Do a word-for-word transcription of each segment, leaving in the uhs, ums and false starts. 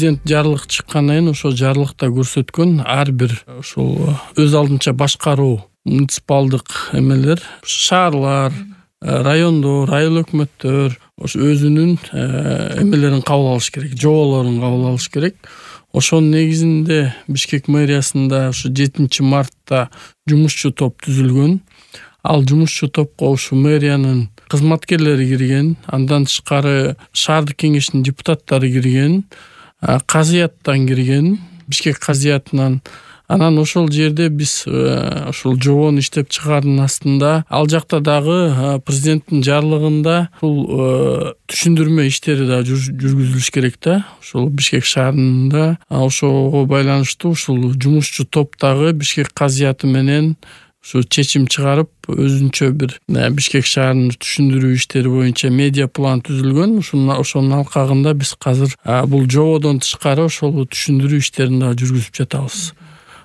президент жарлык чыккандан кийин ошол жарлыкта көрсөткөн ар бир ошол өз алдынча башкаруу муниципалдык эмелер, шаарлар, райондор, айыл өкмөттөр ошо өзүнүн эмелерин кабыл алыш керек, жоболорун кабыл алыш керек. Ошонун негизинде Бишкек мэриясында ушу жетинчи мартта жумушчу топ түзүлгөн. Ал жумушчу топко ушу мэриянын кызматкерлери кирген, андан тышкары шаардык кеңештин депутаттары кирген, казыяттан кирген, Бишкек казыятынан. Анан ошол жерде биз ошол жобону иштеп чыгаардын астында ал жакта дагы президенттин жарлыгында бул түшүндүрмө иштери да жүргүзүлүш керек да. Ошол Бишкек шаарында ошого байланыштуу ушул жумушчу топтагы Бишкек казыяты менен ушу чечим чыгарып, өзүнчө бир Бишкек шаарынын түшүндүрүү иштери боюнча медиа план түзүлгөн. Ошонун алкагында биз азыр бул жободон тышкары ошол түшүндүрүү иштерин да жүргүзүп жатабыз.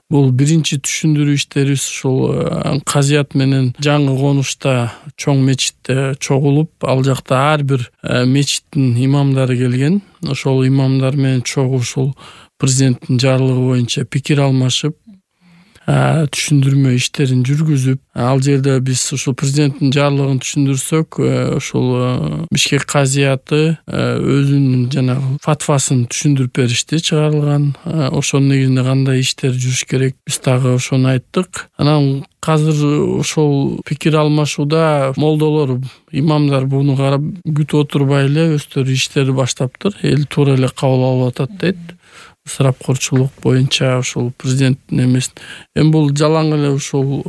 Бул биринчи түшүндүрүү иштерибиз ушул казыят менен жаңы конушта чоң мечитте чогулуп, ал жакта ар бир мечиттин имамдары келген. Ошол имамдар менен чогуу ушул президенттин жарлыгы боюнча пикир алмашып, түшүндүрмө иштерин жүргүзүп, ал жерде биз ушул президенттин жарлыгын түшүндүрсөк, ошол Бишкек казыяты өзүнүн жанагы фатвасын түшүндүрүп беришти, чыгарылган. Ошонун негизинде кандай иштер жүрүш керек, биз дагы ошону айттык. Анан азыр ошол пикир алмашууда молдолор, имамдар буну карап күтүп отурбай эле өздөрү иштерди баштаптыр. Эл туура эле кабыл алып атат дейт. Ысырапкорчулук боюнча ошол президенттин эмес. Эми бул жалаң эле ушул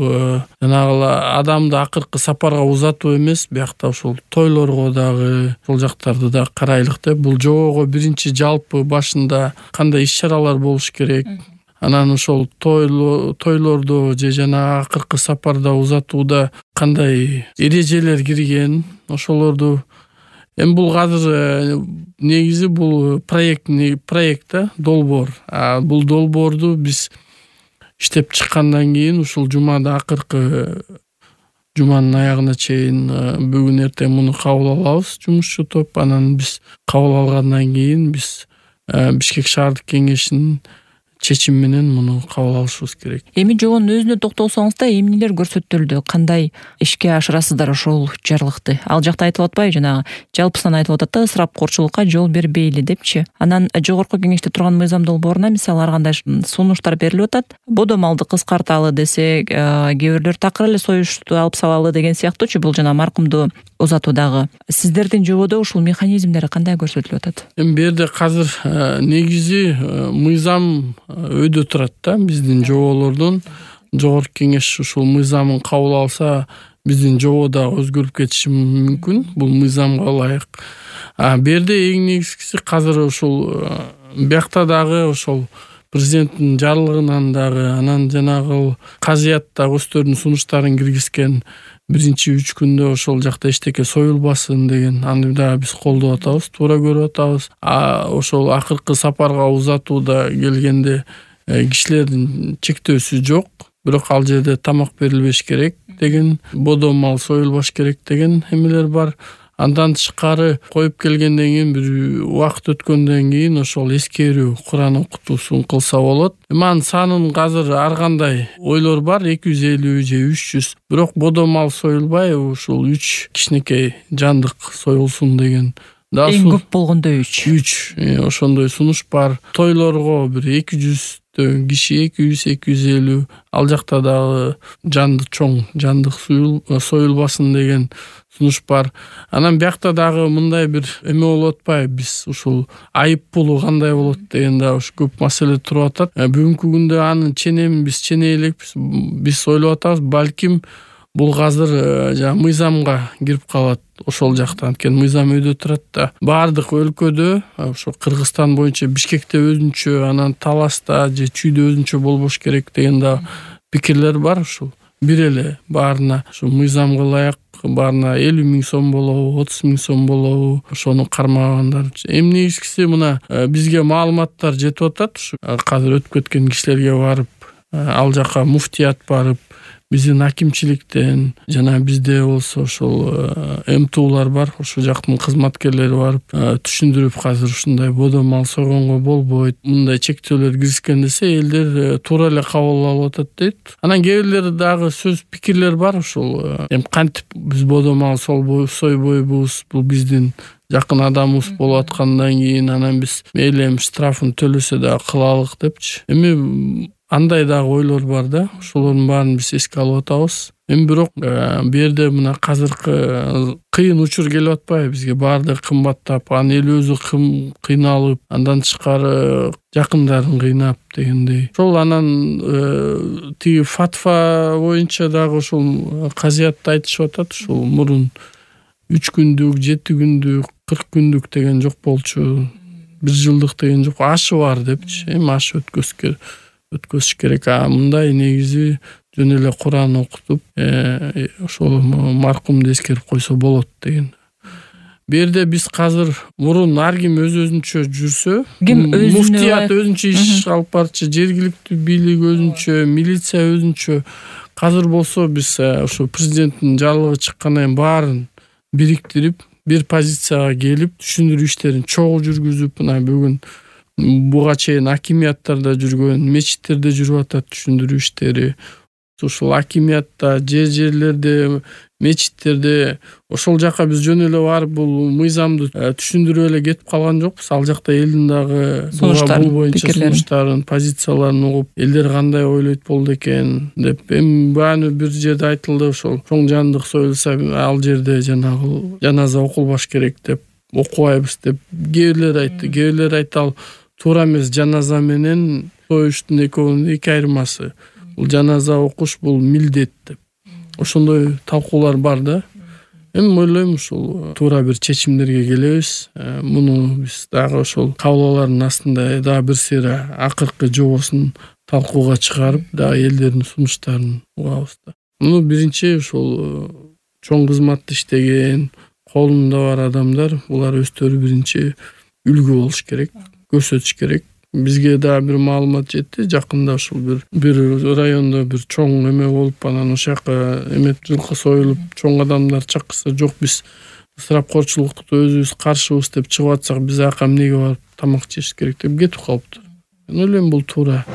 жанагы адамды акыркы сапарга узатуу эмес, биякта ошол тойлорго дагы, ошол жактарды да карайлык деп. Бул жобого биринчи жалпы башында кандай иш-чаралар болуш керек, анан ошол тойлордо же жана акыркы сапарда узатууда кандай эрежелер кирген, ошолорду. Эми бул азыр негизи бул проект проект да, долбоор. А бул долбоорду биз иштеп чыккандан кийин ушул жумада акыркы жуманын аягына чейин бүгүн эртең муну кабыл алабыз, жумушчу топ. Анан биз кабыл алгандан кийин биз Бишкек шаардык кеңешинин чечим менен муну кабыл алышыбыз керек. Эми жобонун өзүнө токтолсоңуз да, эмнелер көрсөтүлдү, кандай ишке ашырасыздар ошол жарлыкты? Ал жакта айтылып атпайбы, жанагы жалпысынан айтылып атат да, ысырапкорчулукка жол бербейли депчи. Анан жогорку кеңеште турган мыйзам долбооруна мисалы ар кандай сунуштар берилип атат. Бодо малды кыскарталы десе, кээ бирлер такыр эле союшту алып салалы деген сыяктуучу, бул жана маркумду узатуудагы. Сиздердин жободо ушул механизмдери кандай көрсөтүлүп атат? Эми бу жерде азыр негизи мыйзам өйдө турат да, биздин жоболордун. Жогорку кеңеш ушул мыйзамын кабыл алса, биздин жобо да өзгөрүп кетиши мүмкүн, бул мыйзамга ылайык. А бу жерде эң негизгиси азыр ушул биякта дагы ошол президенттин жарлыгынан дагы, анан жанагы казыятта өздөрүнүн сунуштарын киргизген биринчи үч күндө ошол жакта эчтеке союлбасын деген, аны да биз колдоп атабыз, туура көрүп атабыз. А ошол акыркы сапарга узатууда келгенде кишилердин чектөөсү жок, бирок ал жерде тамак берилбеш керек деген, бодо мал союлбаш керек деген эмелер бар. Андан тышкары коюп келгенден кийин бир убакыт өткөндөн кийин ошол эскерүү Куран окутуусун кылса болот. Эми анын санын азыр ар кандай ойлор бар, эки жүз элүү же үч жүз. Бирок бодо мал союлбай, ушул үч кичинекей жандык союлсун деген. Эң көп болгондо үч. үч. Ошондой сунуш бар. Тойлорго бир эки жүз киши, эки жүз эки жүз элүү. Ал жакта дагы жанды чоң жандык союлбасын деген сунуш бар. Анан биякта дагы мындай бир эме болуп атпайбы, биз ушул айып пулу кандай болот деген да ушу көп маселе туруп атат. Бүгүнкү күндө аны ченем биз ченей элекпиз, биз ойлоп атабыз, балким бул азыр жана мыйзамга кирип калат ошол жактан. Анткени мыйзам өйдө турат да. Баардык өлкөдө, ошо Кыргызстан боюнча Бишкекте өзүнчө, анан Таласта же Чүйдө өзүнчө болбош керек деген да пикирлер бар. Ушул бир эле баарына ушу мыйзамга ылайык, баарына элүү миң сом болобу, отуз миң сом болобу, ошону кармагандар. Эми негизгиси мына бизге маалыматтар жетип атат. Ушу азыр өтүп кеткен кишилерге барып, ал жака муфтият барып, биздин акимчиликтен жана бизде болсо ошол МТУлар бар, ошол жактын кызматкерлери барып түшүндүрүп, азыр ушундай бодо мал сойгонго болбойт, мындай чектөөлөр киришкен десе элдер туура эле кабыл алып атат дейт. Анан кээ бирлери дагы сөз пикирлер бар, ошол эми кантип биз бодо мал сойбойбуз, бул биздин жакын адамыбыз болуп аткандан кийин анан биз мейли эми штрафын төлөсө дагы кылалык депчи. Эми андай дагы ойлор бар да, ошолордун баарын биз эске алып атабыз. Эми бирок бу жерде мына азыркы кыйын учур келип атпайбы бизге, баардыгы кымбаттап, анан эл өзү кыйналып, андан тышкары жакындарын кыйнап дегендей. Ошол анан тиги фатва боюнча дагы ошол казиятты айтышып атат. Ошол мурун үч күндүк, жети күндүк, кырк күндүк деген жок болчу, бир жылдык деген жок, ашы бар депчи. Эми аш өткөзүш өткөзүш керек. А мындай негизи жөн эле Куран окутуп, ошол маркумду эскерип койсо болот деген. Бу жерде биз азыр мурун ар ким өз өзүнчө жүрсө, муфтият өзүнчө иш алып барчу, жергиликтүү бийлик өзүнчө, милиция өзүнчө. Азыр болсо биз ошо президенттин жарлыгы чыккандан кийин баарын бириктирип, бир позицияга келип, түшүндүрүү иштерин чогуу жүргүзүп, мына бүгүн буга чейин акимияттарда жүргөн, мечиттерде жүрүп атат түшүндүрүү иштери. Ошол акимиятта, жер жерлерде, мечиттерде ошол жака биз жөн эле барып бул мыйзамды түшүндүрүп эле кетип калган жокпуз. Ал жакта элдин дагы бул боюнча сунуштарын, позицияларын угуп, элдер кандай ойлойт болду экен деп. Эми бааны бир жерде айтылды, ошол чоң жандык союлса, ал жерде жанагы жаназа окулбаш керек деп, окубайбыз деп кээ бирлер айтты. Кээ бирлер айтты, туура эмес, жаназа менен союштун экөөнүн эки айырмасы. Бул жаназа окуш бул милдет деп. Ошондой талкуулар бар да. Эми ойлойм ушул туура бир чечимдерге келебиз. Муну биз дагы ошол кабылалардын астында дагы бир сыйра акыркы жобосун талкууга чыгарып, дагы элдердин сунуштарын угабыз да. Муну биринчи ошол чоң кызматты иштеген, колунда бар адамдар, булар өздөрү биринчи үлгү болуш керек, көрсөтүш керек. Бизге да бир маалымат жетти. Жакында ушул бир бир райондо бир чоң эме болуп, анан ошол жака эме жылкы союлуп, чоң адамдар чакырса, жок биз ысырапкорчулукта өзүбүз каршыбыз деп чыгып атсак, биз ака эмнеге барып тамак жеш керек деп кетип калыптыр. Мен ойлойм бул туура.